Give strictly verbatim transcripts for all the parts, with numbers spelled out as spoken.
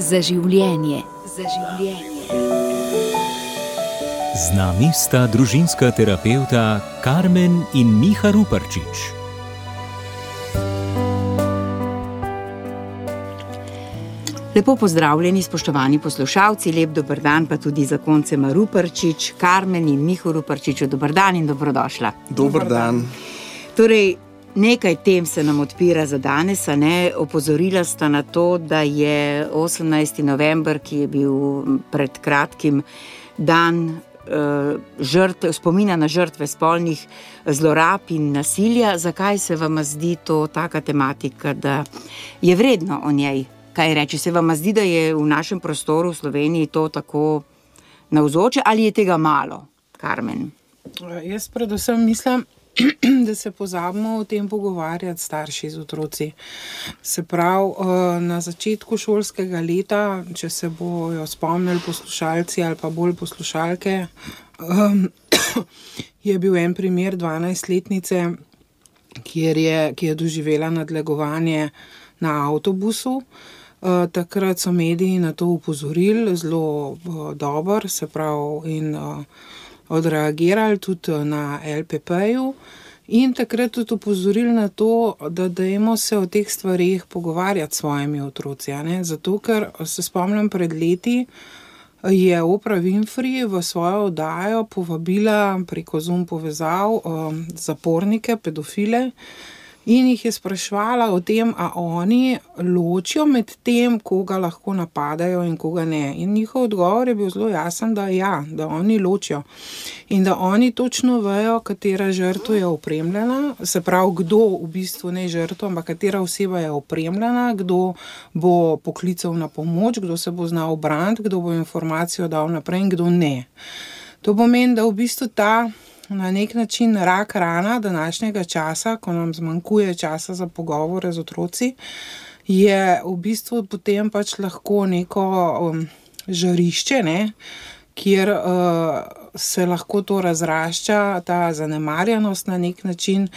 Za življenje. Za življenje. Z nami sta družinska terapevta Karmen in Miha Ruparčič. Lepo pozdravljeni, spoštovani poslušalci, lep dober dan pa tudi zakoncema Ruparčič, Karmen in Miho Ruparčiču, dober dan in dobrodošla. Dober dan. Torej, nekaj tem se nam odpira za danes, a ne? Opozorila sta na to, da je osemnajsti november, ki je bil pred kratkim dan uh, žrtev, spomina na žrtve spolnih zlorab in nasilja. Zakaj se vam zdi to taka tematika, da je vredno o njej kaj reči? Se vam zdi, da je v našem prostoru v Sloveniji to tako navzoče ali je tega malo, Karmen? Jaz predvsem mislim, da se pozabimo o tem pogovarjati starši z otroci. Se pravi, na začetku šolskega leta, če se bojo spomnili poslušalci ali pa bolj poslušalke, je bil en primer dvanajstletnice, kjer je, ki je doživela nadlegovanje na avtobusu. Takrat so mediji na to upozorili zelo dobro, se pravi, in odreagirali tudi na el pe pe-ju in takrat tudi upozorili na to, da dajmo se o teh stvarih pogovarjati s svojimi otroci, ne? Zato, ker se spomnim pred leti, je Oprah Winfrey v svojo oddajo povabila preko Zoom povezav um, zapornike, pedofile, in jih je spraševala o tem, a oni ločijo med tem, koga lahko napadajo in koga ne. In njihov odgovor je bil zelo jasen, da ja, da oni ločijo. In da oni točno vejo, katera žrtev je opremljena, se pravi, kdo v bistvu ne žrtev, ampak katera oseba je opremljena, kdo bo poklical na pomoč, kdo se bo znal braniti, kdo bo informacijo dal naprej in kdo ne. To pomeni, da v bistvu ta na nek način rak rana današnjega časa, ko nam zmanjkuje časa za pogovore z otroci, je v bistvu potem pač lahko neko um, žarišče, ne, kjer uh, se lahko to razrašča, ta zanemarjenost na nek način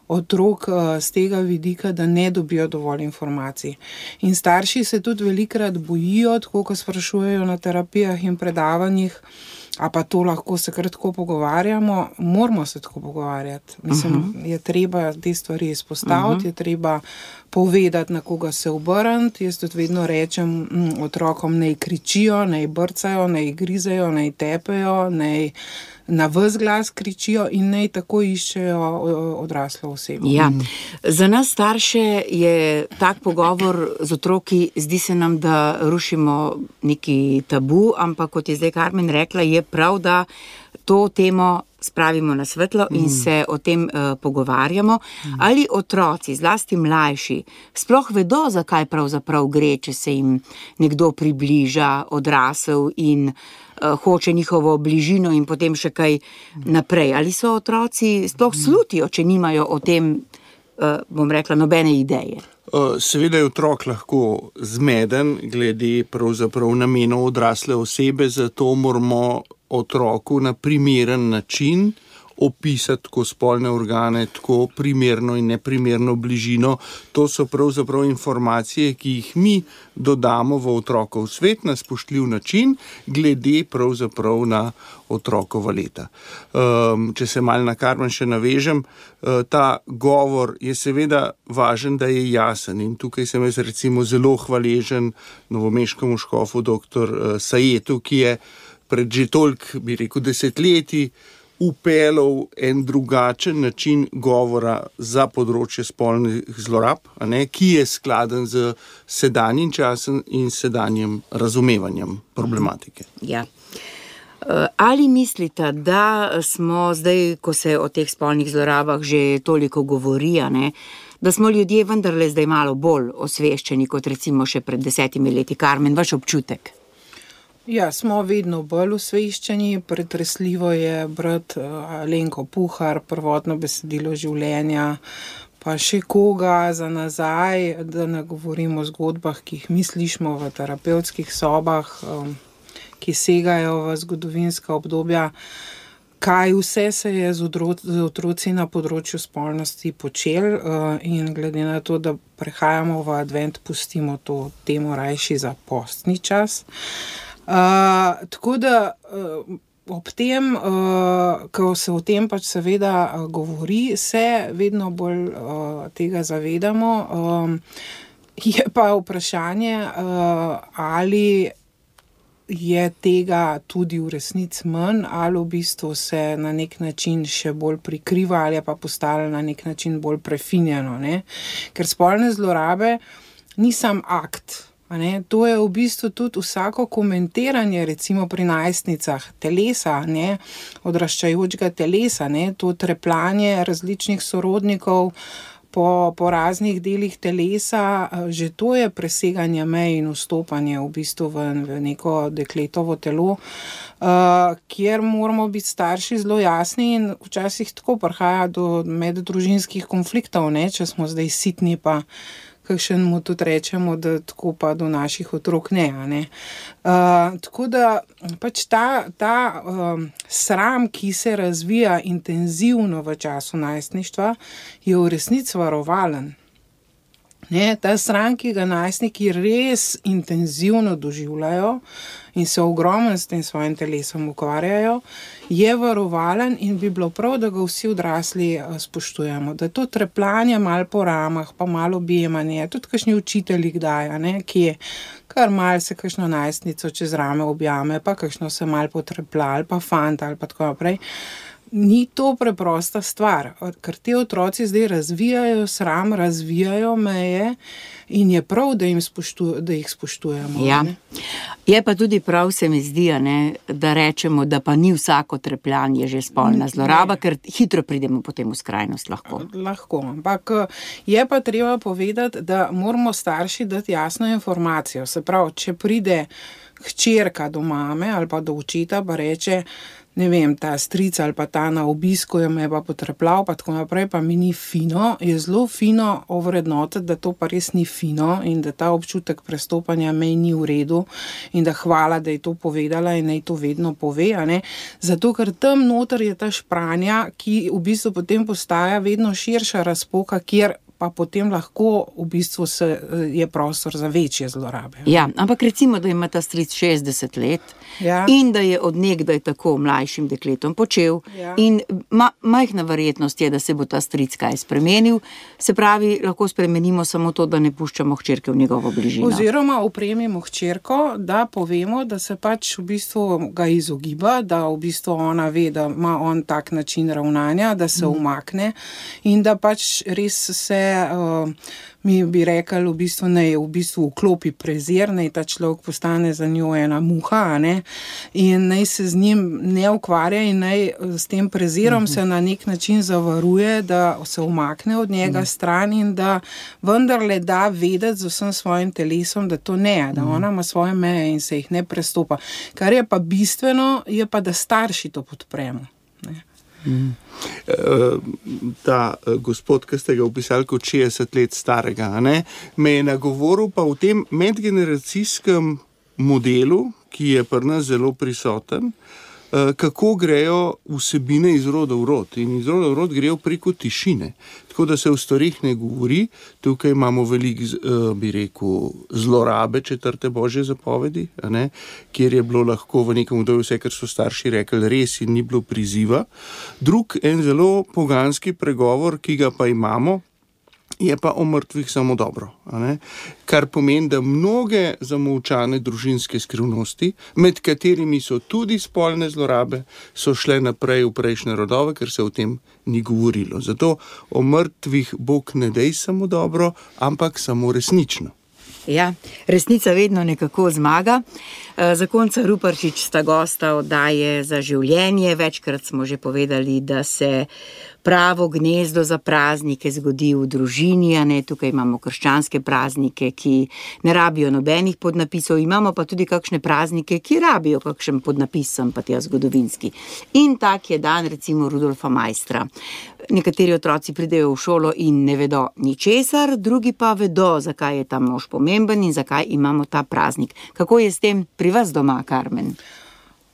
otrok uh, z tega vidika, da ne dobijo dovolj informacij. In starši se tudi velikokrat bojijo, tako ko sprašujejo na terapijah in predavanjih, a pa to lahko se kar tako pogovarjamo, moramo se tako pogovarjati. Mislim, uh-huh. je treba te stvari izpostaviti, uh-huh. je treba povedati, na koga se obrniti. Jaz tudi vedno rečem m, otrokom, naj kričijo, naj brcajo, naj grizejo, naj tepejo, naj na ves glas kričijo in naj tako iščejo odraslo osebo. Ja. Za nas starše je tak pogovor z otroki, zdi se nam, da rušimo neki tabu, ampak kot je zdaj Karmen rekla, je prav, da to temo spravimo na svetlo in se o tem uh, pogovarjamo. Ali otroci, zlasti mlajši, sploh vedo, zakaj pravzaprav gre, če se jim nekdo približa, odrasel in uh, hoče njihovo bližino in potem še kaj naprej. Ali so otroci sploh slutijo, če nimajo o tem, uh, bom rekla, nobene ideje? Seveda je otrok lahko zmeden glede pravzaprav namenov odrasle osebe, zato moramo otroku na primeren način opisati tako spolne organe, tako primerno in neprimerno bližino. To so pravzaprav informacije, ki jih mi dodamo v otrokov svet na spoštljiv način, glede pravzaprav na otrokova leta. Um, če se malo na Karmen še navežem, uh, ta govor je seveda važen, da je jasen in tukaj sem jaz recimo zelo hvaležen novomeškemu škofu doktor uh, Sajetu, ki je pred že toliko, bi rekel, desetletji upeljal en drugačen način govora za področje spolnih zlorab, a ne, ki je skladen z sedanjim časom in sedanjim razumevanjem problematike. Ja. Ali mislite, da smo zdaj, ko se o teh spolnih zlorabah že toliko govori, ne, da smo ljudje vendarle zdaj malo bolj osveščeni kot recimo še pred desetimi leti? Karmen, vaš občutek? Ja, smo vedno bolj osveščeni. Pretresljivo je brati Alenko Puhar, Prvotno besedilo življenja, pa še koga za nazaj, da ne govorimo o zgodbah, ki jih mi slišimo v terapevtskih sobah, ki segajo v zgodovinska obdobja. kaj vse se je z, odro, z otroci na področju spolnosti počel uh, in glede na to, da prehajamo v advent, pustimo to temo rajši za postni čas. Uh, tako da uh, ob tem, uh, ko se o tem pač seveda uh, govori, se vedno bolj uh, tega zavedamo. Um, je pa vprašanje, uh, ali je tega tudi v resnici manj, ali v bistvu se na nek način še bolj prikriva, ali je pa postalo na nek način bolj prefinjeno, ne? Ker spolne zlorabe ni sam akt, a ne? To je v bistvu tudi vsako komentiranje, recimo pri najstnicah, telesa, ne? Odraščajočega telesa, ne? To trepljanje različnih sorodnikov Po, po raznih delih telesa, že to je preseganje mej in vstopanje v bistvu v, v neko dekletovo telo, uh, kjer moramo biti starši zelo jasni in včasih tako prihaja do meddružinskih konfliktov, ne, če smo zdaj sitni, pa kakšen mu tudi rečemo, da tako pa do naših otrok ne. ne. Uh, tako da pač ta, ta um, sram, ki se razvija intenzivno v času najstništva, je v resnici varovalen. Ne, ta sram, ki ga najstniki res intenzivno doživljajo in se ogromno s tem svojim telesom ukvarjajo, je varovalen in bi bilo prav, da ga vsi odrasli spoštujemo. Da to trepljanje malo po ramah, pa malo objemanje, tudi kakšni učitelji kdaj, ne, ki je kar malo se kakšno najstnico čez rame objame, pa kakšno se malo potreplja, ali pa fanta, ali pa tako naprej. Ni to preprosta stvar, ker te otroci zdaj razvijajo sram, razvijajo meje in je prav, da, jim spoštu, da jih spoštujemo. Ja. Je pa tudi prav, se mi zdi, ne, da rečemo, da pa ni vsako trepljanje že spolna zloraba, ne. Ker hitro pridemo potem v skrajnost lahko. Lahko, ampak je pa treba povedati, da moramo starši dati jasno informacijo. Se pravi, če pride hčerka do mame ali pa do očeta, pa reče, ne vem, ta stric ali pa ta na obisku je me pa potrepljal, pa tako naprej, pa mi ni fino, je zelo fino ovrednotiti, da to pa res ni fino in da ta občutek prestopanja mej ni v redu in da hvala, da je to povedala in naj to vedno pove, a ne? Zato, ker tam noter je ta špranja, ki v bistvu potem postaja vedno širša razpoka, kjer pa potem lahko v bistvu se, je prostor za večje zlorabe. Ja, ampak recimo, da ima ta stric šestdeset let, ja, in da je od nekdaj tako mlajšim dekletom počel, ja, in ma, majhna verjetnost je, da se bo ta stric kaj spremenil, se pravi, lahko spremenimo samo to, da ne puščamo hčerke v njegovo bližino. Oziroma opremimo hčerko, da povemo, da se pač v bistvu ga izogiba, da v bistvu ona ve, da ima on tak način ravnanja, da se mm. umakne in da pač res se Uh, mi bi rekli, v bistvu ne, v bistvu vklopi prezir, naj ta človek postane za njo ena muha, ne, in naj se z njim ne ukvarja in naj s tem prezirom uh-huh. se na nek način zavaruje, da se umakne od njega uh-huh. stran in da vendarle da vedeti z vsem svojim telesom, da to ne, da uh-huh. ona ima svoje meje in se jih ne prestopa. Kar je pa bistveno, je pa, da starši to podpremo. Ne. Mm. Ta gospod, ki ste ga opisali kot šestdeset let starega, ne, me je nagovoril pa v tem medgeneracijskem modelu, ki je pri nas zelo prisoten, kako grejo vsebine iz roda v rod. In iz roda v rod grejo preko tišine. Tako da se v stvarih ne govori. Tukaj imamo veliko, bi rekel, zlorabe četrte božje zapovedi, a ne, kjer je bilo lahko v nekem obdobju vse, kar so starši rekli, res in ni bilo priziva. Drug, en zelo poganski pregovor, ki ga pa imamo, je pa o mrtvih samo dobro. A ne? Kar pomeni, da mnoge zamolčane družinske skrivnosti, med katerimi so tudi spolne zlorabe, so šle naprej v prejšnje rodove, ker se o tem ni govorilo. Zato o mrtvih Bog ne dej samo dobro, ampak samo resnično. Ja, resnica vedno nekako zmaga. Zakonca Ruparčič sta gosta oddaje Za življenje. Večkrat smo že povedali, da se pravo gnezdo za praznike zgodi v družini, a ne, tukaj imamo krščanske praznike, ki ne rabijo nobenih podnapisov, imamo pa tudi kakšne praznike, ki rabijo kakšen podnapis, sem pa tja zgodovinski. In tak je dan recimo Rudolfa Maistra. Nekateri otroci pridejo v šolo in ne vedo ničesar, drugi pa vedo, zakaj je ta mož pomemben in zakaj imamo ta praznik. Kako je s tem pri vas doma, Karmen?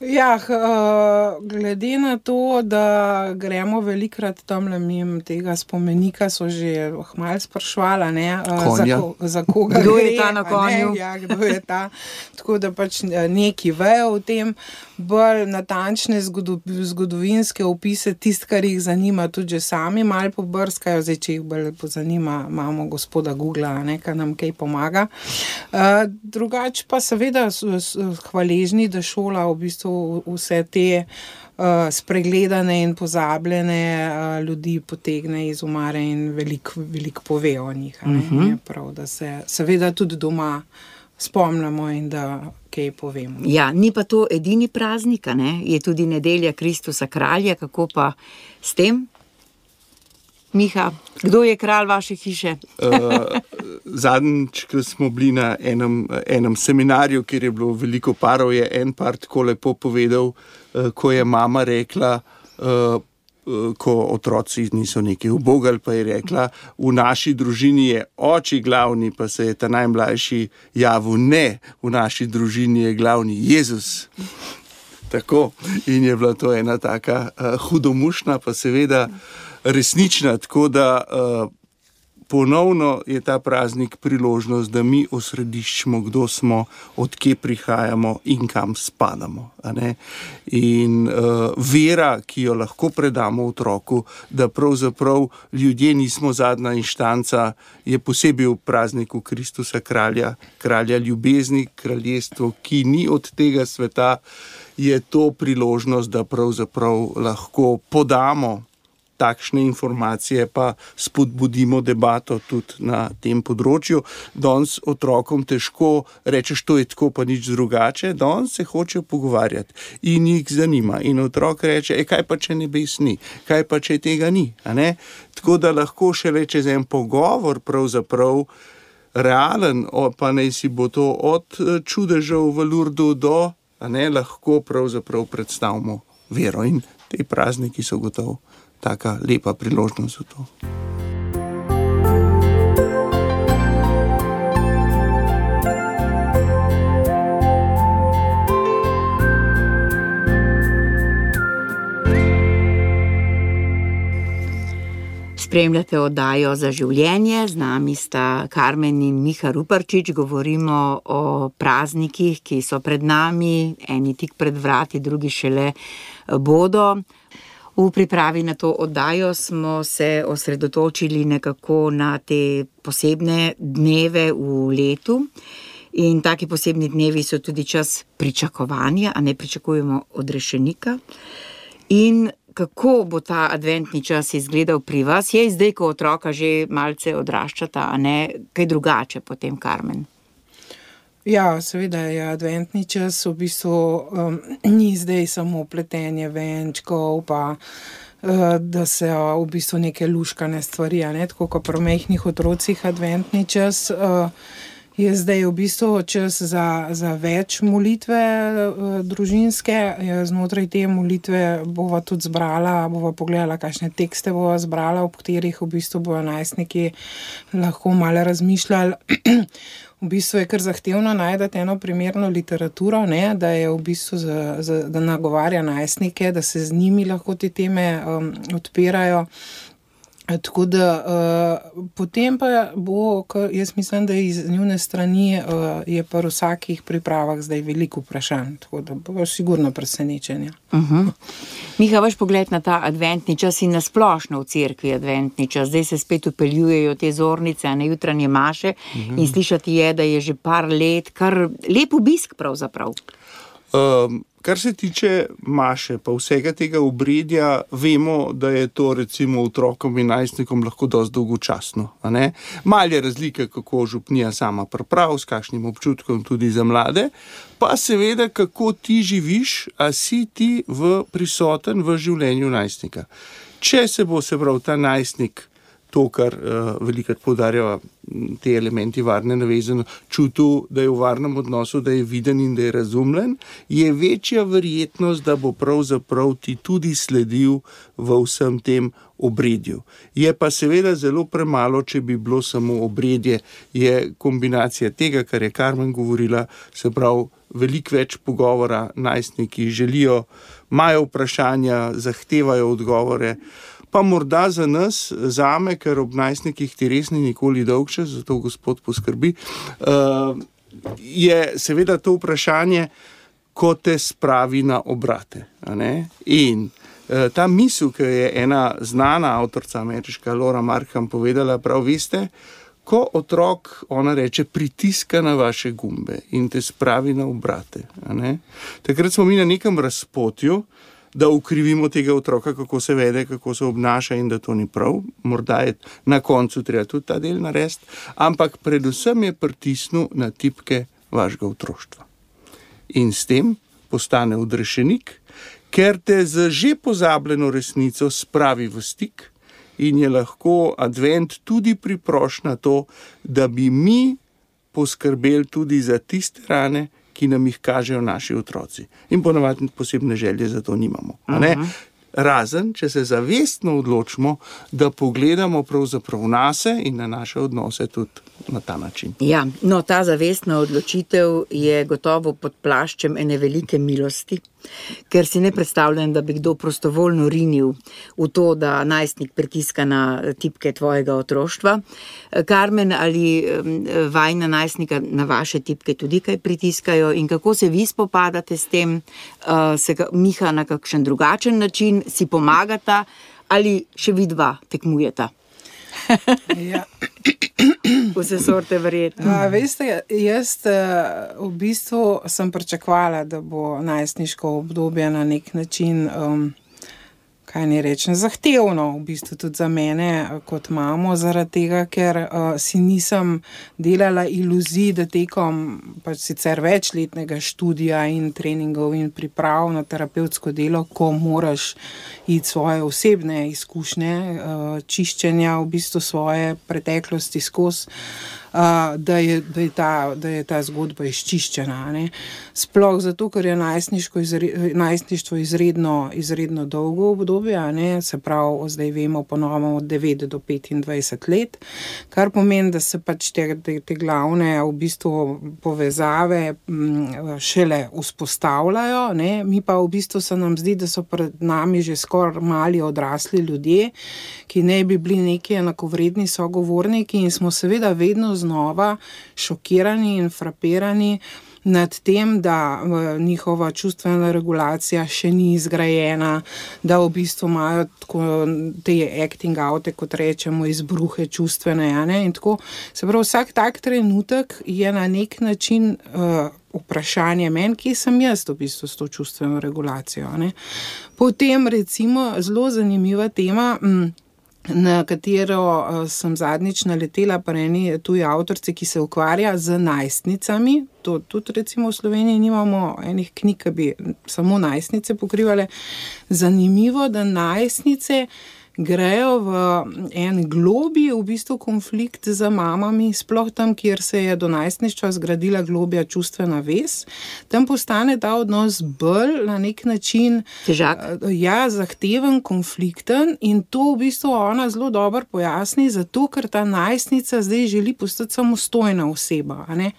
Ja, uh, glede na to, da gremo velikrat tamle mimo tega spomenika, so že malo sprašvala, ne, uh, za, ko, za koga kdo gre, je ta na konju. Ja, kdo je ta. Tako da pač neki vejo o tem, bolj natančne zgodo, zgodovinske opise, tist, kar jih zanima, tudi že sami malo pobrskajo, zdaj, če jih bolj zanima, imamo gospoda Googla, ne, ki nam kaj pomaga. Uh, drugače pa seveda hvaležni, da šola v bistvu vse te uh, spregledane in pozabljene uh, ljudi potegne iz omare in veliko velik pove o njih. Ne? Uh-huh. Je prav, da se seveda tudi doma spomnimo in da kaj povemo. Ja, ni pa to edini praznik, ne? Je tudi nedelja Kristusa kralja, kako pa s tem? Miha, kdo je kralj vaše hiše? uh, zadnjič, ko smo bili na enem, enem seminarju, kjer je bilo veliko parov, je en par tako lepo povedal, uh, ko je mama rekla, uh, uh, ko otroci niso nekaj ubogali, pa je rekla, v naši družini je oči glavni, pa se je ta najmlajši javil, ne, v naši družini je glavni Jezus. Tako, in je bila to ena taka uh, hudomušna, pa seveda resnična, tako da uh, ponovno je ta praznik priložnost, da mi osrediščimo, kdo smo, od kje prihajamo in kam spadamo. A ne? In uh, vera, ki jo lahko predamo otroku, da pravzaprav ljudje nismo zadnja inštanca, je posebej v prazniku Kristusa kralja, kralja ljubezni, kraljestvo, ki ni od tega sveta, je to priložnost, da pravzaprav lahko podamo takšne informacije, pa spodbudimo debato tudi na tem področju. Danes otrokom težko rečeš, to je tako, pa nič drugače, danes se hočejo pogovarjati in jih zanima. In otrok reče, e, kaj pa če nebes ni, kaj pa če tega ni. A ne? Tako da lahko šele čez en pogovor pravzaprav realen, pa naj si bo to od čudežev v Lurdu do, a ne, lahko pravzaprav predstavimo vero. In te prazniki so gotovo taka lepa priložnost za to. Spremljate oddajo Za življenje, z nami sta Karmen in Miha Ruparčič, govorimo o praznikih, ki so pred nami, eni tik pred vrati, drugi šele bodo. V pripravi na to oddajo smo se osredotočili nekako na te posebne dneve v letu in taki posebni dnevi so tudi čas pričakovanja, a ne pričakujemo odrešenika. In kako bo ta adventni čas izgledal pri vas? Je zdaj, ko otroka že malce odraščata, a ne kaj drugače potem, Karmen? Ja, seveda je adventni čas, v bistvu um, ni zdaj samo pletenje venčkov, pa uh, da se uh, v bistvu neke luškane stvari, a ne, tako kot pri majhnih otrocih adventni čas, uh, je zdaj v bistvu čas za, za več molitve uh, družinske. Znotraj te molitve bova tudi zbrala, bova pogledala, kakšne tekste bova zbrala, ob katerih v bistvu bojo najstniki lahko malo razmišljali. V bistvu je kar zahtevno najti eno primerno literaturo, ne, da je v bistvu za, za, da nagovarja najstnike, da se z njimi lahko te teme um, odpirajo. Tako da uh, potem pa bo, jaz mislim, da iz njune strani uh, je pa v vsakih pripravah zdaj veliko vprašanj, tako da bo sigurno presenečenja. Uh-huh. Miha, vaš pogled na ta adventni čas in nasplošno v cerkvi adventni čas, zdaj se spet upeljujejo te zornice, a ne jutranje maše, uh-huh. In slišati je, da je že par let kar lep obisk pravzaprav. Um. Kar se tiče maše, pa vsega tega obredja, vemo, da je to recimo otrokom in najstnikom lahko dosti dolgočasno. A ne? Mal je razlika, kako župnija sama priprav, s kakšnim občutkom tudi za mlade, pa seveda, kako ti živiš, a si ti v, prisoten v življenju najstnika. Če se bo, se pravi, ta najstnik, to, kar uh, velikrat poudarjava te elementi varne navezanosti, čutil, da je v varnem odnosu, da je viden in da je razumljen, je večja verjetnost, da bo pravzaprav ti tudi sledil v vsem tem obredju. Je pa seveda zelo premalo, če bi bilo samo obredje, je kombinacija tega, kar je Karmen govorila, se pravi, veliko več pogovora, najstniki želijo, imajo vprašanja, zahtevajo odgovore, pa morda za nas, zame, ker ob najstnikih ti res ni nikoli dolgčas, zato Gospod poskrbi, je seveda to vprašanje, ko te spravi na obrate. A ne? In ta misel, ki je ena znana avtorica ameriška Laura Markham povedala, prav veste, ko otrok, ona reče, pritiska na vaše gumbe in te spravi na obrate. A ne? Takrat smo mi na nekem razpotju, da ukrivimo tega otroka, kako se vede, kako se obnaša in da to ni prav. Morda je na koncu treba tudi ta del narediti, ampak predvsem je pritisnil na tipke vašega otroštva. In s tem postane odrešenik, ker te z že pozabljeno resnico spravi v stik in je lahko advent tudi priprošnja to, da bi mi poskrbeli tudi za tiste rane, ki nam jih kažejo naši otroci. In ponavadi posebne želje za to nimamo. A ne? Razen, če se zavestno odločimo, da pogledamo pravzaprav nase in na naše odnose tudi na ta način. Ja, no, ta zavestna odločitev je gotovo pod plaščem ene velike milosti, ker si ne predstavljam, da bi kdo prostovoljno rinil v to, da najstnik pritiska na tipke tvojega otroštva. Karmen, ali vajna najstnika na vaše tipke tudi kaj pritiskajo in kako se vi spopadate s tem, se Miha na kakšen drugačen način, si pomagata ali še vi dva tekmujeta? Ja. Vse sorte verjetno. A, veste, jaz v bistvu sem pričakovala, da bo najstniško obdobje na nek način, um, kaj ne rečem, zahtevno v bistvu tudi za mene kot mamo, zaradi tega, ker uh, si nisem delala iluzij, da tekom pač sicer večletnega študija in treningov in priprav na terapevtsko delo, ko moraš iti svoje osebne izkušnje, uh, čiščenja v bistvu svoje preteklosti skozi, Uh, da, je, da, je ta, da je ta zgodba izčiščena. Ne? Sploh zato, ker je izre, najstništvo izredno, izredno dolgo obdobje, ne? Se pravi, zdaj vemo ponovno od devet do petindvajset let, kar pomeni, da se pač te, te, te glavne v bistvu povezave m, šele vzpostavljajo, ne? Mi pa v bistvu se nam zdi, da so pred nami že skoraj mali odrasli ljudje, ki ne bi bili neki enakovredni sogovorniki in smo seveda vedno znova šokirani in frapirani nad tem, da njihova čustvena regulacija še ni izgrajena, da v bistvu imajo tako te acting oute, kot rečemo, izbruhe čustvene, ja, ne? In tako, se pravi, vsak tak trenutek je na nek način uh, vprašanje meni, kje sem jaz v bistvu s to čustveno regulacijo, ne? Potem recimo zelo zanimiva tema, hm, na katero uh, sem zadnjič naletela pri eni tuji avtorici, ki se ukvarja z najstnicami. To tudi recimo v Sloveniji nimamo enih knjig, ki bi samo najstnice pokrivale. Zanimivo, da najstnice grejo v en globi v bistvu konflikt z mamami, sploh tam, kjer se je do najstništva zgradila globja čustvena vez. Tam postane ta odnos bolj na nek način težak, ja, zahteven, konflikten in to v bistvu ona zelo dobro pojasni, zato ker ta najstnica zdaj želi postati samostojna oseba. A ne?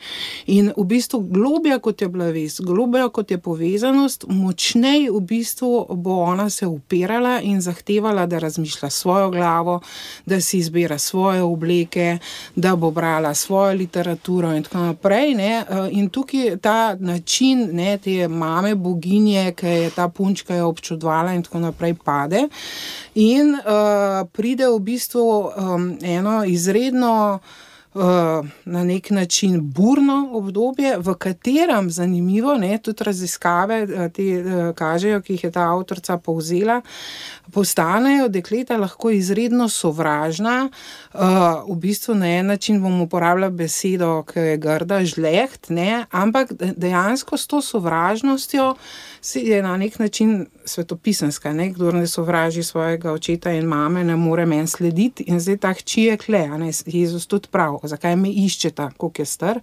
In v bistvu globja, kot je bila vez, globja, kot je povezanost, močnej v bistvu bo ona se upirala in zahtevala, da razmišlja svojo glavo, da si izbira svoje obleke, da bo brala svojo literaturo in tako naprej. Ne? In tukaj ta način, ne, te mame boginje, ki je ta punčka je občudvala in tako naprej, pade. In uh, pride v bistvu um, eno izredno na nek način burno obdobje, v katerem, zanimivo, ne, tudi raziskave te kažejo, ki jih je ta avtorica povzela, postanejo dekleta lahko izredno sovražna, v bistvu na en način bom uporabljala besedo, ki je grda, žleht, ne, ampak dejansko s to sovražnostjo je na nek način svetopisanska, ne, kdor ne sovraži svojega očeta in mame, ne more meni slediti in zdaj ta hči je kle, a ne, Jezus tudi prav, zakaj me iščeta, koliko je star,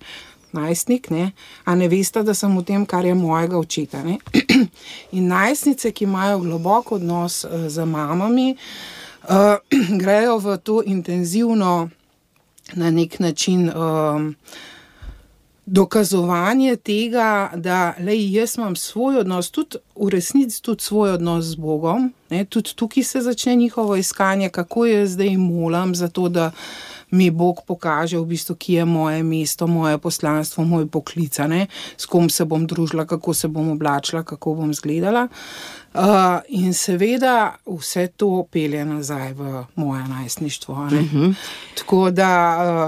najstnik, ne, a ne veste, da sem v tem, kar je mojega očeta, ne. In najstnice, ki imajo globok odnos z mamami, uh, grejo v to intenzivno na nek način um, dokazovanje tega, da lej, jaz imam svoj odnos, tudi v resnici tudi svoj odnos z Bogom, ne, tudi tukaj se začne njihovo iskanje, kako jaz zdaj molim za to, da mi Bog pokaže v bistvu, kje je moje mesto, moje poslanstvo, moj poklic, ne, s kom se bom družila, kako se bom oblačila, kako bom izgledala. Uh, in seveda vse to pelje nazaj v moje najstništvo. Uh-huh. Tako da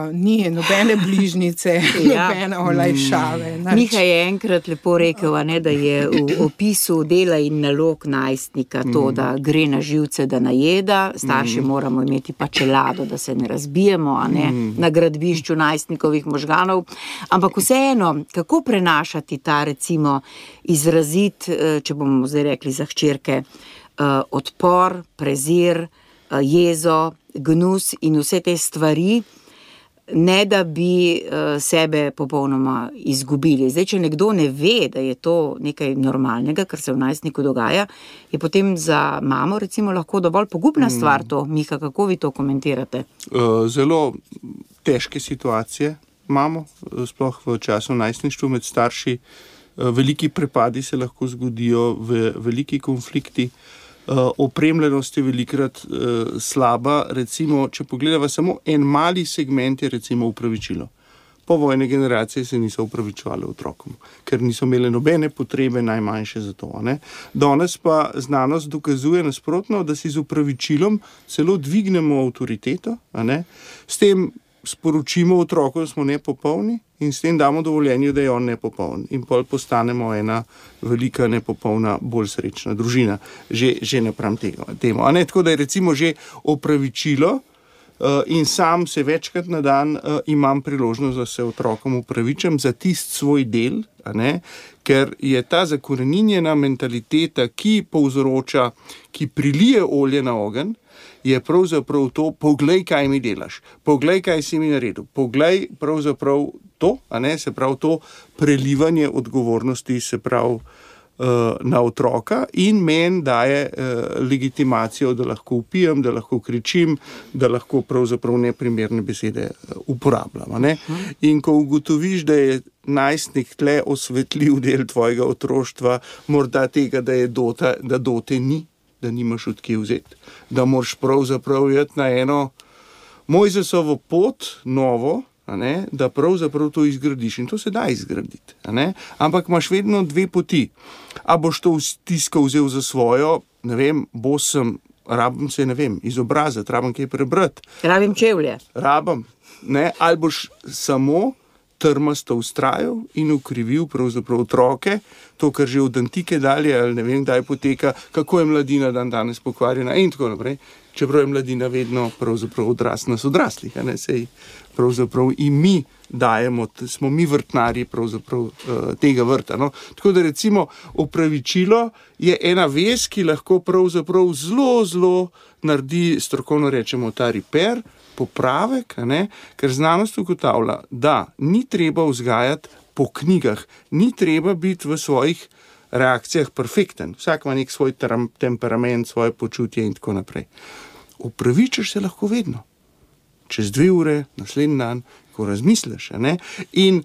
uh, ni nobene bližnice, ja. Nobene olajšave. Miha je enkrat lepo rekel, a ne, da je v opisu dela in nalog najstnika to, da gre na živce, da najeda, starši mm. moramo imeti pa čelado, da se ne razbijemo, a ne, mm. na gradbišču najstnikovih možganov. Ampak vseeno, kako prenašati ta recimo izrazit, če bomo zdaj rekli za hčerke, odpor, prezir, jezo, gnus in vse te stvari, ne da bi sebe popolnoma izgubili. Zdaj, če nekdo ne ve, da je to nekaj normalnega, kar se v najstniku dogaja, je potem za mamo recimo lahko dovolj pogubna stvar to. Miha, kako vi to komentirate? Zelo težke situacije imamo, sploh v času najstništva med starši. Veliki prepadi se lahko zgodijo, v veliki konflikti. Opremljenost je velikrat slaba. Recimo, če pogledava samo en mali segment, je recimo upravičilo. Povojne generacije se niso upravičevali otrokom, ker niso imeli nobene potrebe, najmanjše za to. Ne? Danes pa znanost dokazuje nasprotno, da si z upravičilom celo dvignemo avtoriteto, a ne? S tem sporočimo otroku, da smo nepopolni in s tem damo dovoljenje, da je on nepopoln. In pol postanemo ena velika, nepopolna, bolj srečna družina. Že, že napram tega, temu. A ne, tako da je recimo že opravičilo uh, in sam se večkrat na dan uh, imam priložnost, da se otrokom upravičam za tist svoj del, a ne, ker je ta zakoreninjena mentaliteta, ki povzroča, ki prilije olje na ogenj, je pravzaprav to, poglej, kaj mi delaš, poglej, kaj si mi naredil, poglej pravzaprav to, a ne, se pravi to prelivanje odgovornosti, se pravi uh, na otroka in meni daje uh, legitimacijo, da lahko vpijem, da lahko kričim, da lahko pravzaprav neprimerne besede uh, uporabljam, a ne. In ko ugotoviš, da je najstnik tle osvetljiv del tvojega otroštva, morda tega, da je dota, da dote ni, da nimaš od kje vzeti, da moraš pravzaprav jeti na eno Mojzesovo pot, novo, a ne, da pravzaprav to izgradiš in to se da izgraditi, a ne, ampak imaš vedno dve poti. A boš to stisko vzel za svojo, ne vem, bo sem, rabim se, ne vem, izobraziti, rabim kaj prebrati. Rabim čevlje. Rabim, ne, ali boš samo trmasto ustrajal in ukrivil pravzaprav otroke, to, kar že od antike dalje, ali ne vem, kdaj poteka, kako je mladina dan danes pokvarjena in tako naprej. Čeprav je mladina vedno pravzaprav odrast nas odraslih, a ne, sej pravzaprav in mi dajemo, smo mi vrtnarji pravzaprav uh, tega vrta. No? Tako da recimo opravičilo je ena vez, ki lahko pravzaprav zelo, zelo naredi, strokovno rečemo, ta repair, popravek, a ne, ker znanost ugotavlja, da ni treba vzgajati po knjigah, ni treba biti v svojih reakcijah perfekten. Vsak ima nek svoj temperament, svoje počutje in tako naprej. Opravičaš se lahko vedno. Čez dve ure, naslednji dan, ko razmisliš, a ne? In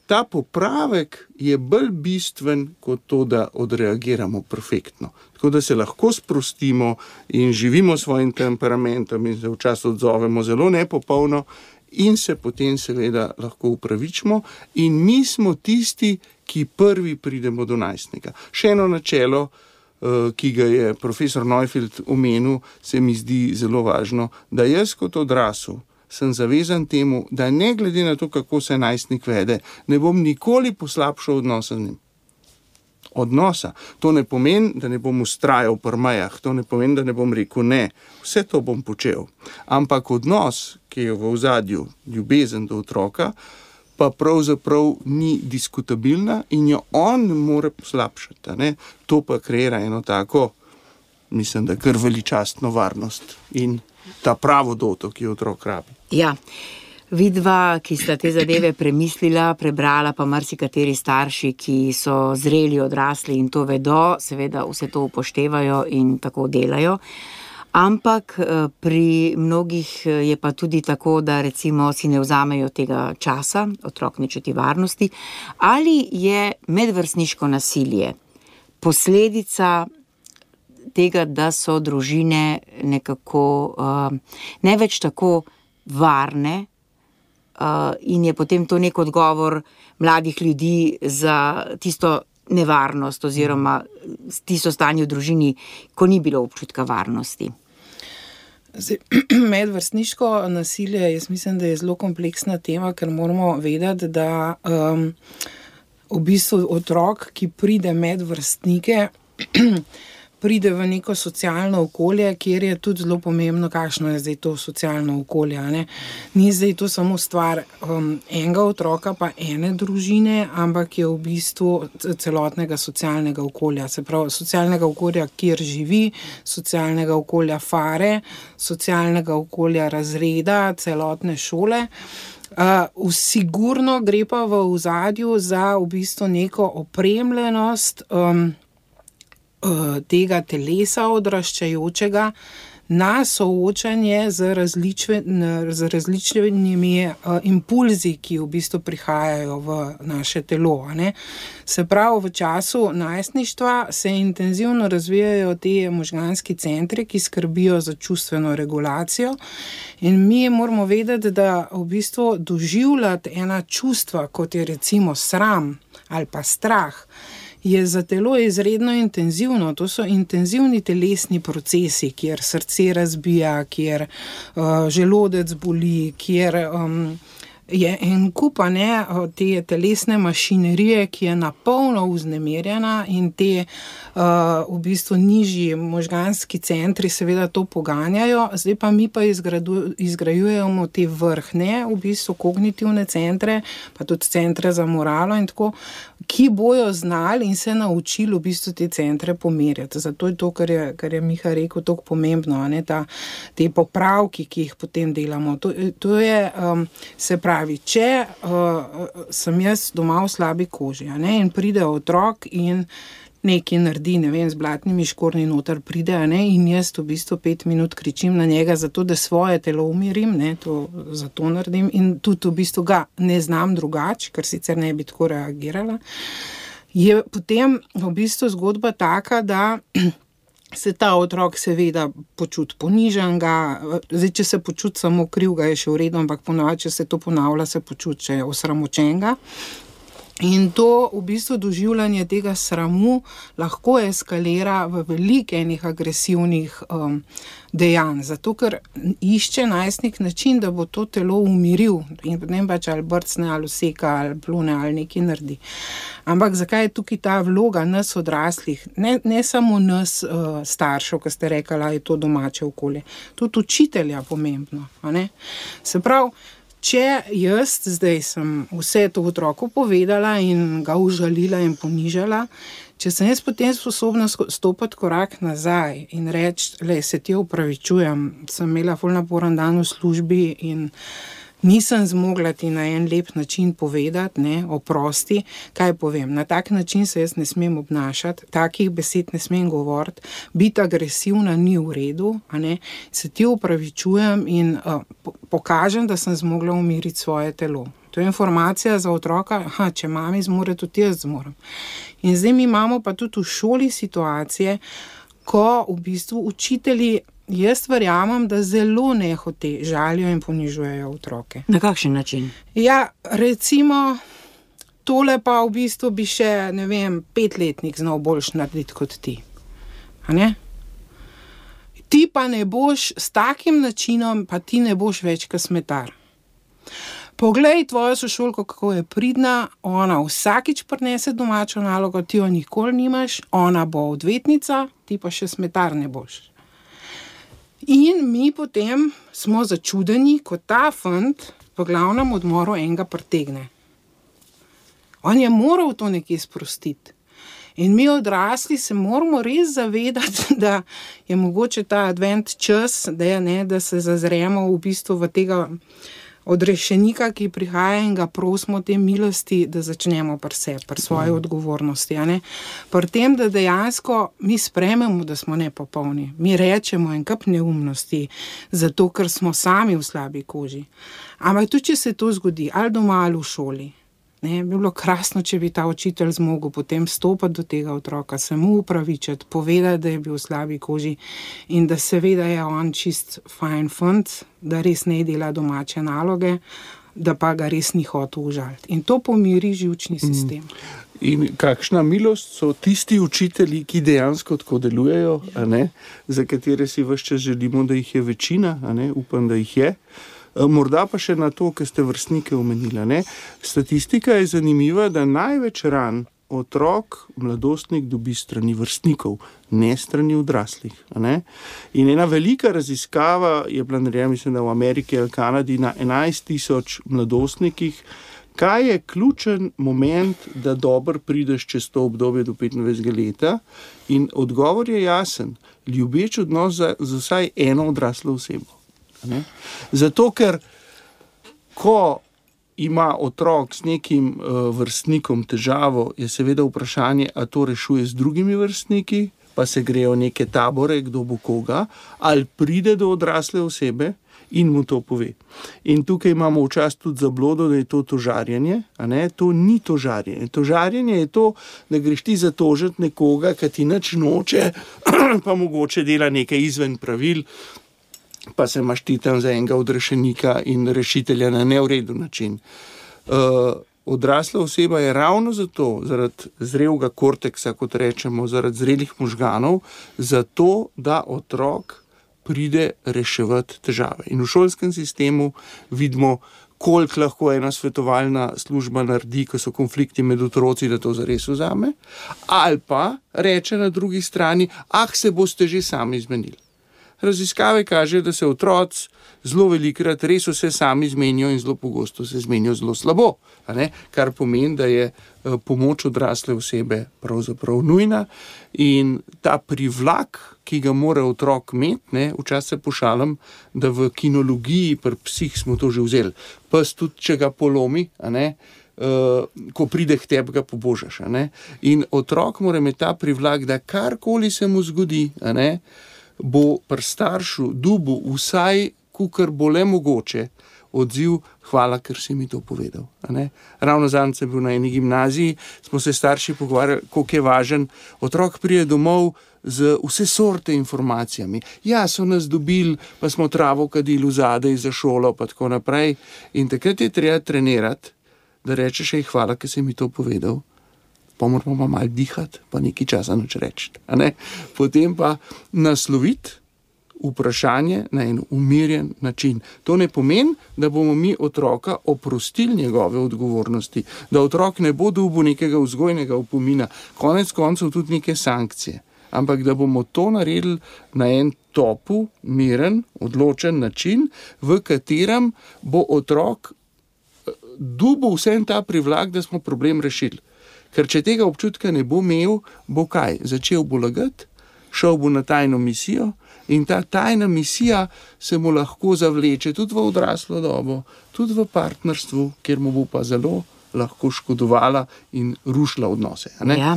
ta popravek je bolj bistven kot to, da odreagiramo perfektno. Tako da se lahko sprostimo in živimo svojim temperamentom in se včasih odzovemo zelo nepopolno in se potem seveda lahko upravičimo in mi smo tisti, ki prvi pridemo do najstnika. Še eno načelo, ki ga je profesor Neufeld omenil, se mi zdi zelo važno, da jaz kot odrasel sem zavezan temu, da ne glede na to, kako se najstnik vede, ne bom nikoli poslabšal odnosa z njim. odnosa. To ne pomeni, da ne bom vztrajal pri mejah, to ne pomeni, da ne bom rekel ne. Vse to bom počel. Ampak odnos, ki je v ozadju, ljubezen do otroka, pa pravzaprav ni diskutabilna in jo on ne more poslabšati. Ne? To pa kreira eno tako, mislim, da kar veličastno varnost in ta pravo doto, ki jo otrok rabi. Ja. Vidva, ki sta te zadeve premislila, prebrala, pa marsikateri starši, ki so zreli, odrasli in to vedo, seveda vse to upoštevajo in tako delajo. Ampak pri mnogih je pa tudi tako, da recimo si ne vzamejo tega časa, otrok ne čuti varnosti. Ali je medvrstniško nasilje posledica tega, da so družine nekako ne več tako varne, Uh, in je potem to nek odgovor mladih ljudi za tisto nevarnost oziroma tisto stanje v družini, ko ni bilo občutka varnosti. Zdaj, medvrstniško nasilje, jaz mislim, da je zelo kompleksna tema, ker moramo vedeti, da um, v bistvu otrok, ki pride med vrstnike, pride v neko socialno okolje, kjer je tudi zelo pomembno, kakšno je zdaj to socialno okolje. Ne? Ni zdaj to samo stvar um, enega otroka pa ene družine, ampak je v bistvu celotnega socialnega okolja. Se pravi, socialnega okolja, kjer živi, socialnega okolja fare, socialnega okolja razreda, celotne šole. Uh, sigurno gre pa v ozadju za v bistvu neko opremljenost um, tega telesa odraščajočega na soočanje z, različve, z različnimi uh, impulzi, ki v bistvu prihajajo v naše telo. Ne? Se pravi, v času najstništva se intenzivno razvijajo te možganski centri, ki skrbijo za čustveno regulacijo in mi moramo vedeti, da v bistvu doživljati ena čustva, kot je recimo sram ali pa strah, je za telo izredno intenzivno. To so intenzivni telesni procesi, kjer srce razbija, kjer uh, želodec boli, kjer um, je en kup ne, te telesne mašinerije, ki je napolno vznemirjena in te uh, v bistvu nižji možganski centri seveda to poganjajo. Zdaj pa mi pa izgradu, izgrajujemo te vrhne, v bistvu kognitivne centre, pa tudi centre za moralo in tako, ki bojo znali in se naučili v bistvu te centre pomerjati. Zato je to, kar je, kar je Miha rekel, tako pomembno, ne, ta, te popravki, ki jih potem delamo. To, to je, um, se pravi, če uh, sem jaz doma v slabi koži, ne, in pride otrok in nekaj naredi, ne vem, z blatnimi škornji noter pride, ne, in jaz v bistvu pet minut kričim na njega zato, da svoje telo umirim, ne, to zato naredim in tudi v bistvu ga ne znam drugače, ker sicer ne bi tako reagirala, je potem v bistvu zgodba taka, da se ta otrok seveda počuti ponižanega, zdaj, če se počuti samo krivga, je še v redu, ampak ponovadi, če se to ponavlja, se počuti še osramočenega. In to v bistvu doživljanje tega sramu lahko eskalira v veliko enih agresivnih um, dejanj, zato ker išče najstnik način, da bo to telo umiril in potem pač ali brcne, ali useka, ali plune, ali nekaj naredi. Ampak zakaj je tukaj ta vloga nas odraslih, ne, ne samo nas uh, staršev, ki ste rekli, je to domače okolje, tudi učitelja pomembno, a ne? Se pravi, če jaz zdaj sem vse to otroku povedala in ga užalila in ponižala, če sem jaz potem sposobna stopiti korak nazaj in reči, le, se ti opravičujem, sem imela ful naporen dan v službi in nisem zmogla ti na en lep način povedati, ne, oprosti, kaj povem. Na tak način se jaz ne smem obnašati, takih besed ne smem govoriti, biti agresivna ni v redu, a ne, se ti opravičujem in uh, pokažem, da sem zmogla umiriti svoje telo. To je informacija za otroka, aha, če mami zmore, tudi jaz zmorem. In zdaj mi imamo pa tudi v šoli situacije, ko v bistvu učitelji, jaz verjamem, da zelo nehote žalijo in ponižujejo otroke. Na kakšen način? Ja, recimo, tole pa v bistvu bi še, ne vem, petletnik znal boljš narediti kot ti. A ne? Ti pa ne boš s takim načinom, pa ti ne boš več kot smetar. Poglej tvojo sošolko, kako je pridna, ona vsakič prinese domačo nalogo, ti jo nikoli nimaš, ona bo odvetnica, ti pa še smetar ne boš. In mi potem smo začudeni, ko ta fant v glavnem odmoru enega pritegne. On je moral to nekje sprostiti. In mi odrasli se moramo res zavedati, da je mogoče ta advent čas, da, je, ne, da se zazremo v bistvu v tega odrešenika, ki prihaja in ga prosimo te milosti, da začnemo pri sebi, pri svoji odgovornosti. A ne? Pri tem, da dejansko mi sprejmemo, da smo nepopolni. Mi rečemo en kup neumnosti, zato ker smo sami v slabi koži. Ampak tudi, če se to zgodi, ali doma ali v šoli, ne, bi bilo krasno, če bi ta učitelj zmogel potem stopiti do tega otroka, se mu upravičiti, povedati, da je bil v slabi koži in da seveda je on čist fajn fant, da res ne dela domače naloge, da pa ga res ni hotel užaliti. In to pomiri živčni sistem. In kakšna milost so tisti učitelji, ki dejansko tako delujejo, a ne, za katere si ves čas želimo, da jih je večina, a ne, upam, da jih je. Morda pa še na to, kar ste vrstnike omenila. Ne? Statistika je zanimiva, da največ ran otrok, mladostnik dobi strani vrstnikov, ne strani odraslih. Ne? In ena velika raziskava je bila narejena, mislim, da v Ameriki ali Kanadi na enajst tisoč mladostnikih, kaj je ključen moment, da dobro prideš čez to obdobje do petindvajsetega leta. In odgovor je jasen. Ljubeč odnos za, za vsaj eno odraslo osebo. Ne? Zato, ker ko ima otrok s nekim uh, vrstnikom težavo, je seveda vprašanje, a to rešuje z drugimi vrstniki, pa se grejo neke tabore, kdo bo koga, ali pride do odrasle osebe in mu to pove. In tukaj imamo včasih tudi zablodo, da je to tožarjenje, a ne, to ni tožarjenje. Tožarjenje je to, da greš ti zatožiti nekoga, ki ti nič noče, pa mogoče dela nekaj izven pravil, pa se imaš ti tam za enega odrešenika in rešitelja na neuredu način. Uh, odrasla oseba je ravno zato, zaradi zrelega korteksa, kot rečemo, zaradi zrelih možganov, zato, da otrok pride reševati težave. In v šolskem sistemu vidimo, koliko lahko ena svetovalna služba naredi, ko so konflikti med otroci, da to zares vzame, ali pa reče na drugi strani, ah, se boste že sami zmenili. Raziskave kažejo, da se otroci zelo velikrat res vse sami zmenijo in zelo pogosto se zmenijo zelo slabo, a ne? Kar pomeni, da je pomoč odrasle osebe pravzaprav nujna in ta privlak, ki ga mora otrok imeti, ne, včasih se pošalim, da v kinologiji pri psih smo to že vzeli. Pes tudi, če ga polomi, a ne, Uh, ko pride k tebi, ga pobožaš. A ne? In otrok mora imeti ta privlak, da karkoli se mu zgodi, a ne, bo pri staršu dubu vsaj, kukar bo le mogoče, odziv, hvala, ker si mi to povedal. A ne? Ravno zadnjič sem bil na eni gimnaziji, smo se starši pogovarjali, koliko je važen. Otrok pride domov z vse sorte informacijami. Ja, so nas dobili, pa smo travo kadili vzadej za šolo, pa tako naprej. In takrat je treba trenirati, da rečeš, ej, hvala, ker si mi to povedal. Pa moramo pa malo dihati, pa nekaj časa nič reči. Potem pa nasloviti vprašanje na en umirjen način. To ne pomeni, da bomo mi otroka oprostili njegove odgovornosti, da otrok ne bo dobil nekega vzgojnega opomina, konec koncev tudi neke sankcije. Ampak da bomo to naredili na en topu, miren, odločen način, v katerem bo otrok dobil vsem ta privlak, da smo problem rešili. Ker če tega občutka ne bo imel, bo kaj? Začel bo lagati, šel bo na tajno misijo in ta tajna misija se mu lahko zavleče tudi v odraslo dobo, tudi v partnerstvu, kjer mu bo pa zelo lahko škodovala in rušila odnose. A ne? Ja.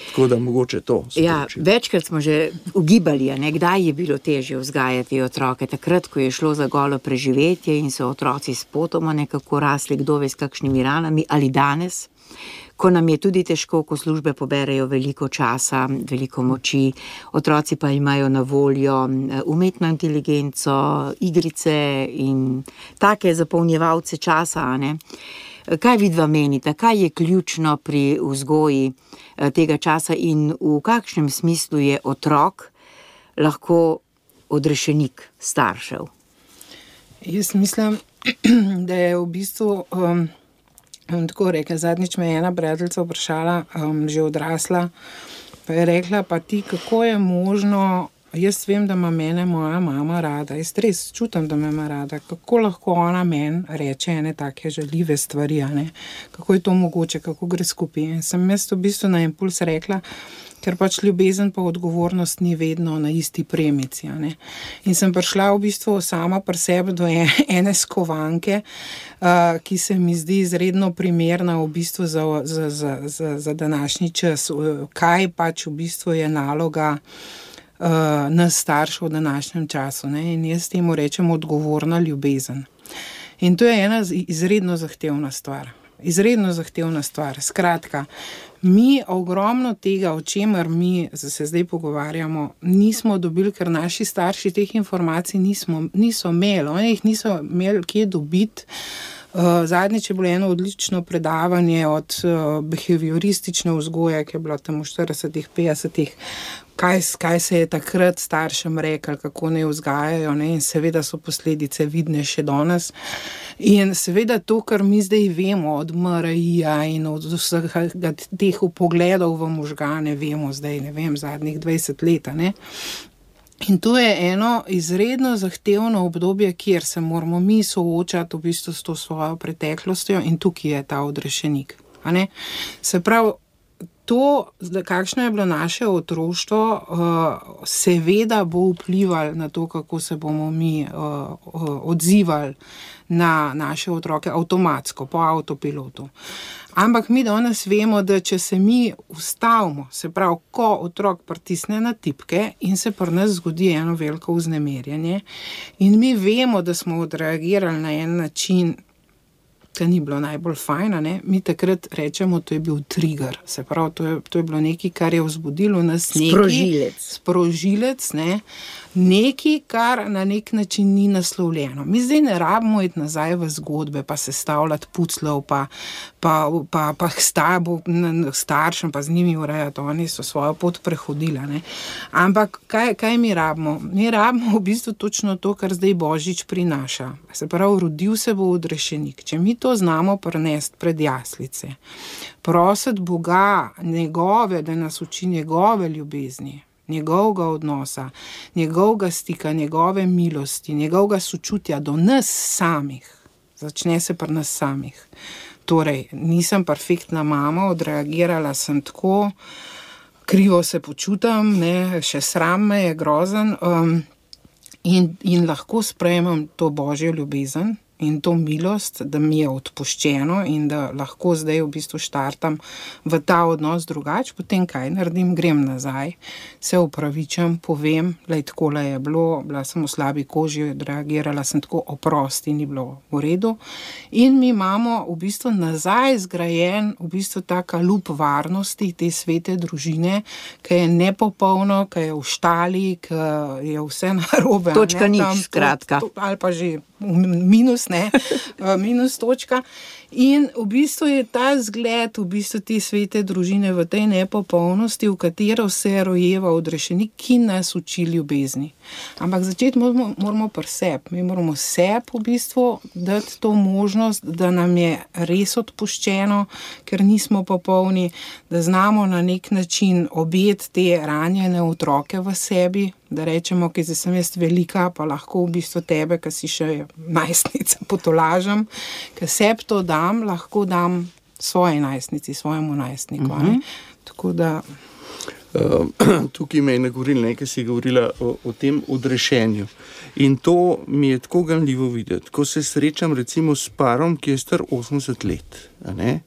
Tako da mogoče to ja, večkrat smo že ugibali, ne, kdaj je bilo težje vzgajati otroke. Takrat, ko je šlo za golo preživetje in so otroci spotoma nekako rasli, kdo ve s kakšnimi ranami, ali danes, ko nam je tudi težko, ko službe poberejo veliko časa, veliko moči, otroci pa imajo na voljo umetno inteligenco, igrice in take zapolnjevalce časa, ne. Kaj vidva menita, kaj je ključno pri vzgoji tega časa in v kakšnem smislu je otrok lahko odrešenik staršev? Jaz mislim, da je v bistvu, um, tako rekel, zadnjič me je ena prijateljica vprašala, um, že odrasla, pa je rekla, pa ti, kako je možno, jaz vem, da ima mene moja mama rada, jaz res čutim, da me ima rada, kako lahko ona meni reče ene take žaljive stvari, a ne? Kako je to mogoče, kako gre skupaj. In sem jaz v bistvu na impuls rekla, ker pač ljubezen pa odgovornost ni vedno na isti premici, a ne? In sem prišla v bistvu sama pri sebi do ene skovanke, uh, ki se mi zdi izredno primerna v bistvu za, za, za, za, za današnji čas. Kaj pač v bistvu je naloga Uh, nas staršev v današnjem času, ne? In jaz temu rečem odgovorna ljubezen. In to je ena izredno zahtevna stvar. Izredno zahtevna stvar. Skratka, mi ogromno tega, o čemer mi se zdaj pogovarjamo, nismo dobili, ker naši starši teh informacij nismo, niso imeli. Oni jih niso imeli kje dobiti. Uh, zadnjič je bilo eno odlično predavanje od uh, behavioristične vzgoje, ki je bilo tam v štiridesetih, petdesetih, kaj, kaj se je takrat staršem rekel, kako ne vzgajajo, ne? In seveda so posledice vidne še danes. In seveda to, kar mi zdaj vemo od M R I-ja in od vseh teh pogledov v možgane, vemo zdaj, ne vem, zadnjih dvajset let, ne? In to je eno izredno zahtevno obdobje, kjer se moramo mi soočati v bistvu s to svojo preteklostjo in tukaj je ta odrešenik. A ne? Se pravi, to, kakšno je bilo naše otroštvo, seveda bo vplivalo na to, kako se bomo mi odzivali na naše otroke avtomatsko, po avtopilotu. Ampak mi danes vemo, da če se mi ustavimo, se pravi, ko otrok pritisne na tipke in se pri nas zgodi eno veliko vznemirjenje in mi vemo, da smo odreagirali na en način, ki ni bilo najbolj fajn, ne? Mi takrat rečemo, to je bil trigger, se pravi, to je, to je bilo nekaj, kar je vzbudilo nas nekaj. Sprožilec. Sprožilec, ne? Nekaj, kar na nek način ni naslovljeno. Mi zdaj ne rabimo iti nazaj v zgodbe, pa sestavljati puclov, pa, pa, pa, pa stabo, staršem, pa z njimi urejati, oni so svojo pot prehodila, ne? Ampak kaj, kaj mi rabimo? Mi rabimo v bistvu točno to, kar zdaj Božič prinaša. Se pravi, rodil se bo odrešenik. Če mi to znamo prenesti pred jaslice, prositi Boga njegove, da nas uči njegove ljubezni, njegovega odnosa, njegovega stika, njegove milosti, njegovega sočutja do nas samih. Začne se pri nas samih. Torej, nisem perfektna mama, odreagirala sem tako, krivo se počutam, ne, še sram me je grozen, um, in, in lahko sprejemam to Božjo ljubezen in to milost, da mi je odpuščeno in da lahko zdaj v bistvu štartam v ta odnos drugače, potem kaj naredim, grem nazaj, se opravičam, povem, lej, takole je bilo, bila sem v slabi koži, odreagirala sem tako, oprosti, ni bilo v redu. In mi imamo v bistvu nazaj zgrajen v bistvu taka lup varnosti te svete družine, ki je nepopolno, ki je v štali, ki je vse narobe. Točka ne, nič, tam, skratka. to, to, ali pa že minus, ne, minus točka. In v bistvu je ta zgled, v bistvu te svete družine v tej nepopolnosti, v katero se rojeva odrešenik, ki nas uči ljubezni. Ampak začeti moramo, moramo pri sebi. Mi moramo sebi v bistvu dati to možnost, da nam je res odpuščeno, ker nismo popolni, da znamo na nek način objeti te ranjene otroke v sebi, da rečemo, ki zdaj sem jaz velika, pa lahko v bistvu tebe, ki si še najstnica, potolažem, ker sebi to dam, lahko dam svoji najstnici, svojemu najstniku. Uh-huh. Tako da... Uh, tukaj me je nagovoril, nekaj si govorila o, o tem odrešenju. In to mi je tako ganljivo videti. Ko se srečam recimo s parom, ki je star osemdeset let, a ne?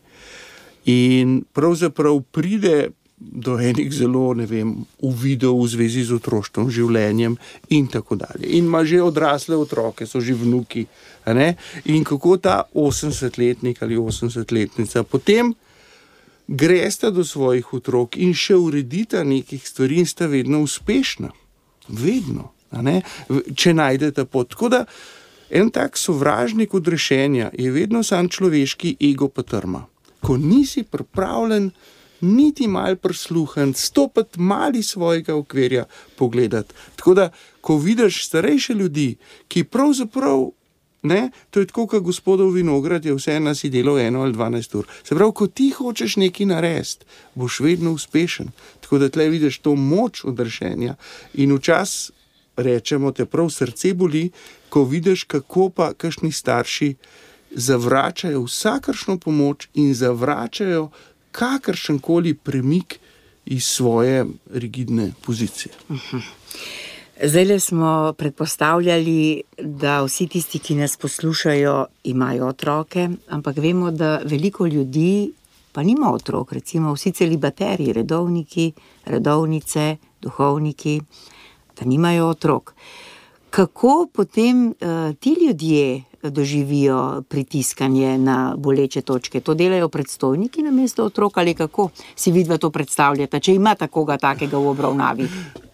In pravzaprav pride do enih zelo, ne vem, uvidov v zvezi z otroštvom, življenjem in tako dalje. In ima že odrasle otroke, so že vnuki, a ne? In kako ta osemdesetletnik ali osemdesetletnica potem gresta do svojih otrok in še uredita nekih stvari in sta vedno uspešna. Vedno, a ne? Če najdete pot. Tako da en tak sovražnik odrešenja je vedno sam človeški ego pa trma. Ko nisi pripravljen niti malo prisluhniti, stopiti mali svojega okvirja pogledati. Tako da, ko vidiš starejše ljudi, ki pravzaprav Ne? To je tako, kot gospodov vinograd je vse nas je delal eno ali dvanajst ur. Se pravi, ko ti hočeš nekaj narediti, boš vedno uspešen. Tako da tle vidiš to moč odrešenja in včas rečemo, te prav srce boli, ko vidiš, kako pa kakšni starši zavračajo vsakršno pomoč in zavračajo kakršenkoli premik iz svoje rigidne pozicije. Uh-huh. Zdaj smo predpostavljali, da vsi tisti, ki nas poslušajo, imajo otroke, ampak vemo, da veliko ljudi pa nima otrok, recimo vsi celibaterji, redovniki, redovnice, duhovniki, da nimajo otrok. Kako potem uh, ti ljudje doživijo pritiskanje na boleče točke? To delajo predstojniki namesto otrok ali kako si vidva to predstavljate, če ima takoga takega v obravnavi?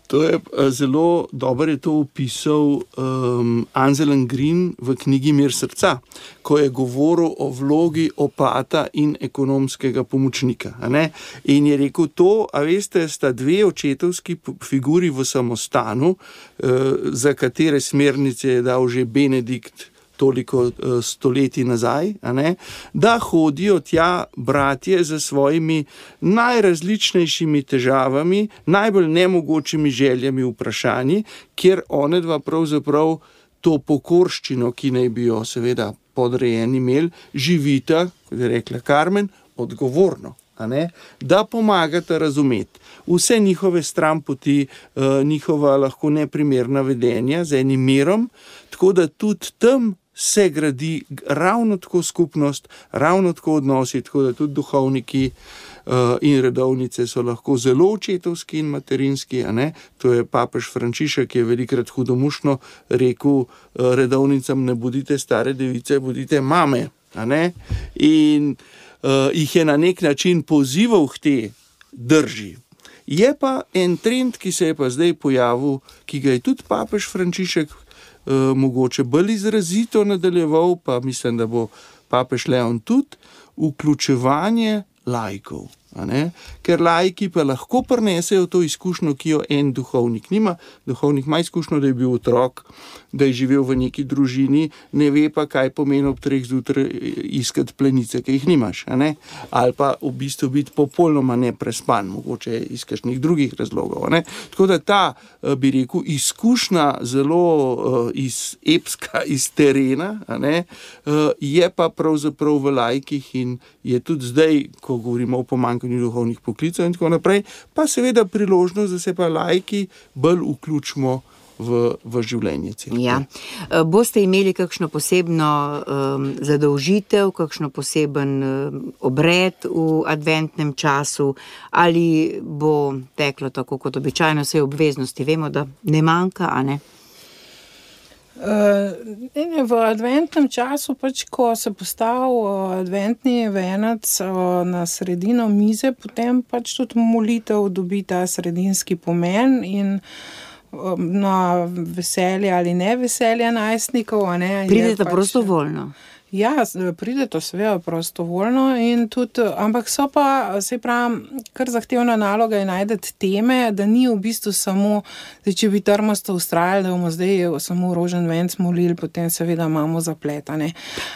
To je zelo dobro je to opisal um, Anselm Green v knjigi Mir srca, ko je govoril o vlogi opata in ekonomskega pomočnika. A ne? In je rekel to, a veste, sta dve očetovski figuri v samostanu, uh, za katere smernice je dal že Benedikt toliko uh, stoletij nazaj, a ne, da hodijo tja bratje za svojimi najrazličnejšimi težavami, najbolj nemogočimi željami, vprašanji, kjer one dva pravzaprav to pokorščino, ki naj bi jo seveda podrejeni imeli, živita, kot je rekla Karmen, odgovorno. A ne, da pomagata razumeti vse njihove stranpoti, uh, njihova lahko neprimerna vedenja z enim mirom, tako da tudi tam se gradi ravno tako skupnost, ravno tako odnosi, tako da tudi duhovniki uh, in redovnice so lahko zelo očetovski in materinski, a ne? To je papež Frančišek, ki je velikrat hudomušno rekel uh, redovnicam, ne bodite stare device, bodite mame, a ne? In uh, jih je na nek način pozival k te drži. Je pa en trend, ki se je pa zdaj pojavil, ki ga je tudi papež Frančišek Uh, mogoče bolj izrazito nadaljeval, pa mislim, da bo papež Leon tudi, vključevanje laikov. A ne? Ker laiki pa lahko prinesejo to izkušnjo, ki jo en duhovnik nima. Duhovnik ima izkušnjo, da je bil otrok, da je živel v neki družini, ne ve pa, kaj pomeni ob treh zjutraj iskati plenice, ki jih nimaš. A ne? Ali pa v bistvu biti popolnoma neprespan, mogoče iz kakšnih drugih razlogov. A ne? Tako da ta, bi rekel, izkušnja zelo uh, iz epska, iz terena, a ne? Uh, je pa pravzaprav v laikih in je tudi zdaj, ko govorimo o pomanjkanju duhovnih poklicev in tako naprej, pa seveda priložnost, da se pa laiki bolj vključimo v, v življenje cerkve. Ja. Boste imeli kakšno posebno um, zadolžitev, kakšno poseben um, obred v adventnem času, ali bo teklo tako kot običajno, vse obveznosti vemo, da ne manjka, a ne? Uh, v adventnem času, pač, ko se postavi uh, adventni venec uh, na sredino mize, potem pač tudi molitev dobi ta sredinski pomen in uh, na veselje ali ne veselje najstnikov. A ne, pridete pač, prostovoljno? Ja, pridete seveda prostovoljno, in tudi, ampak so pa, se pravi, kar zahtevna naloga je najti teme, da ni v bistvu samo, da če bi trmasto ustrajali, da bomo zdaj samo rožen venc molili, potem seveda imamo zapletane.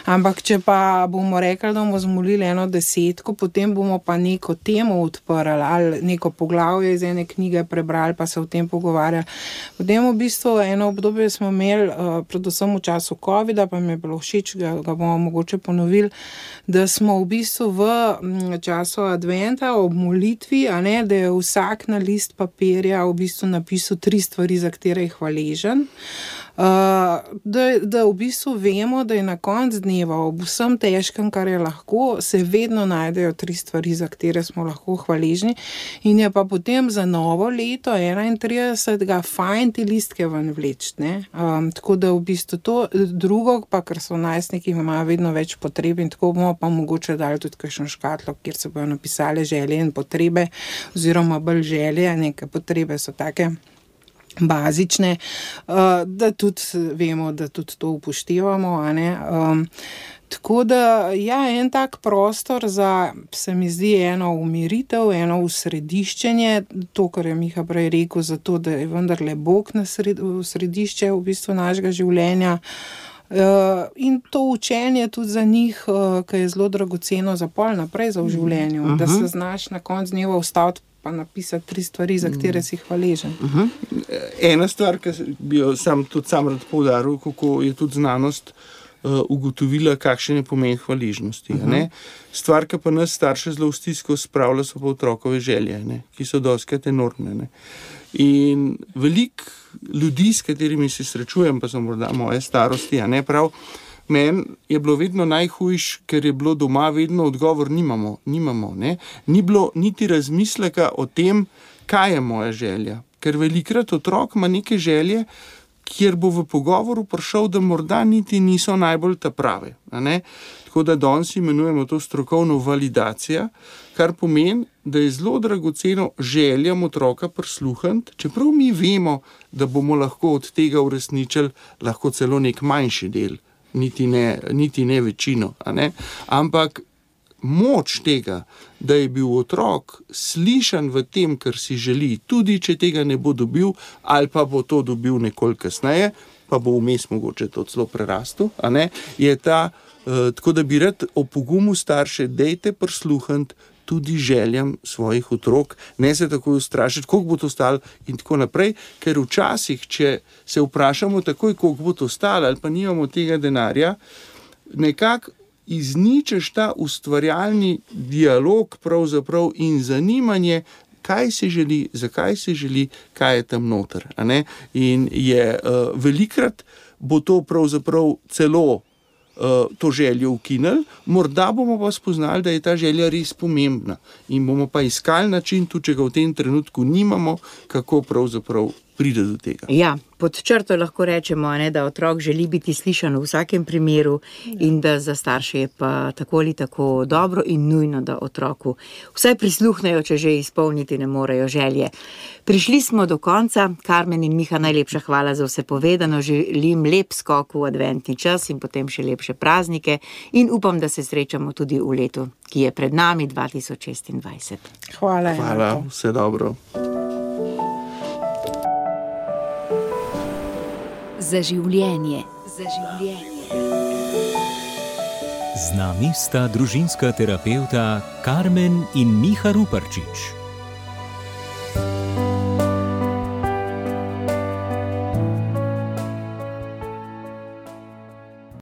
Ampak če pa bomo rekli, da bomo zmolili eno desetko, potem bomo pa neko temo odprli ali neko poglavje iz ene knjige prebrali, pa se o tem pogovarjali. Potem v bistvu eno obdobje smo imeli, predvsem v času covida, pa mi je bilo všeč, ga, ga bomo mogoče ponovili, da smo v bistvu v času adventa ob molitvi, a ne, da je vsak na list papirja v bistvu napisal tri stvari, za katere je hvaležen. Uh, da, da v bistvu vemo, da je na koncu dneva ob vsem težkem, kar je lahko, se vedno najdejo tri stvari, za katere smo lahko hvaležni, in je pa potem za novo leto enaintridesetega fajn ti listke ven vleči, ne. Um, tako da v bistvu to drugo, pa ker so najstniki, imajo vedno več potreb, in tako bomo pa mogoče dali tudi kakšno škatlo, kjer se bojo napisali želje in potrebe, oziroma bolj želje, neke potrebe so take bazične, da tudi vemo, da tudi to upoštevamo, a ne. Um, tako da, ja, en tak prostor za, se mi zdi, eno umiritev, eno usrediščenje, to, kar je Miha prej rekel, zato, da je vendarle Bog na sred, v središče v bistvu našega življenja Uh, in to učenje tudi za njih, uh, ki je zelo dragoceno za pol naprej za v življenju, uh-huh. da se znaš na konc dneva vstaviti pa napisati tri stvari, za katere si hvaležen. Uh-huh. Ena stvar, ki bi jo sam tudi sam rad poudaril, kako je tudi znanost uh, ugotovila, kakšen je pomen hvaležnosti. Uh-huh. Ne? Stvar, ki pa nas starše zelo v stisko spravlja, so pa otrokove želje, ne? Ki so dostikrat enormne. Ne? In veliko ljudi, s katerimi se srečujem, pa so morda moje starosti, a ne prav, meni je bilo vedno najhujš, ker je bilo doma vedno odgovor, nimamo, nimamo, ne. Ni bilo niti razmisleka o tem, kaj je moja želja. Ker velikrat otrok ima neke želje, kjer bo v pogovoru prišel, da morda niti niso najbolj ta prave, a ne. Tako da danes imenujemo to strokovno validacija, kar pomeni, da je zelo dragoceno željam otroka prisluhniti, čeprav mi vemo, da bomo lahko od tega uresničili lahko celo nek manjši del, niti ne, niti ne večino, a ne? Ampak moč tega, da je bil otrok slišan v tem, kar si želi, tudi če tega ne bo dobil, ali pa bo to dobil nekoliko kasneje, pa bo vmes mogoče to celo prerastel, a ne, je ta, uh, tako da bi rad opogumu starše, dejte prisluhniti tudi željam svojih otrok, ne se takoj ustrašiti, koliko bo to stalo in tako naprej, ker včasih, če se vprašamo takoj, koliko bo to stalo, ali pa nimamo tega denarja, nekako izničeš ta ustvarjalni dialog pravzaprav in zanimanje, kaj se želi, zakaj se želi, kaj je tam noter, a ne? In je uh, velikrat bo to pravzaprav celo to željo ukinili, morda bomo pa spoznali, da je ta želja res pomembna in bomo pa iskali način, tudi če ga v tem trenutku nimamo, kako pravzaprav pride do tega. Ja, pod črto lahko rečemo, ne, da otrok želi biti slišan v vsakem primeru in da za starše je pa tako ali tako dobro in nujno, da otroku vsaj prisluhnejo, če že izpolniti ne morejo želje. Prišli smo do konca. Karmen in Miha, najlepša hvala za vse povedano. Želim lep skok v adventni čas in potem še lepše praznike in upam, da se srečamo tudi v letu, ki je pred nami, dva tisoč šestindvajset. Hvala. Hvala, vse dobro. Za življenje. Za življenje. Z nami sta družinska terapevta Karmen in Miha Ruparčič.